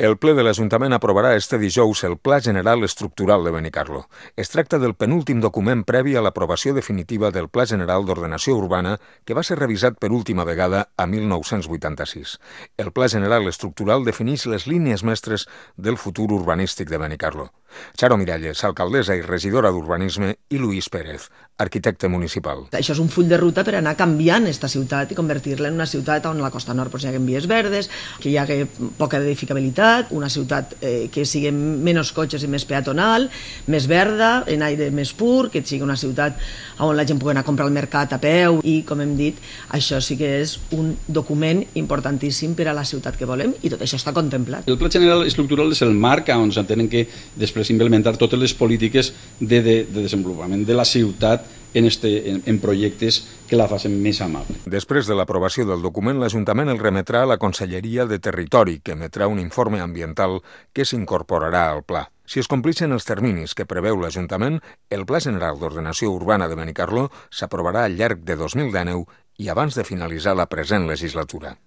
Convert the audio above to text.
El ple de l'Ajuntament aprovarà este dijous el Pla General Estructural de Benicarló. Es tracta del penúltim document previ a l'aprovació definitiva del Pla General d'Ordenació Urbana que va ser revisat per última vegada a 1986. El Pla General Estructural defineix les línies mestres del futur urbanístic de Benicarló. Charo Miralles, alcaldessa i regidora d'Urbanisme, i Luis Pérez, arquitecte municipal. Això és un full de ruta per anar canviant esta ciutat i convertir-la en una ciutat on la costa nord hi hagi vies verdes, que hi hagi poca edificabilitat, una ciutat que sigui menys cotxes i més peatonal, més verda, en aire més pur, que sigui una ciutat on la gent pugui anar a comprar al mercat a peu i, com hem dit, això sí que és un document importantíssim per a la ciutat que volem i tot això està contemplat. El Pla General Estructural és el marc on s'entenen que després implementar totes les polítiques de desenvolupament de la ciutat en projectes que la facin més amable. Després de l'aprovació del document, l'Ajuntament el remetrà a la Conselleria de Territori, que emetrà un informe ambiental que s'incorporarà al pla. Si es complixen els terminis que preveu l'Ajuntament, el Pla General d'Ordenació Urbana de Benicarló s'aprovarà al llarg de 2019 i abans de finalitzar la present legislatura.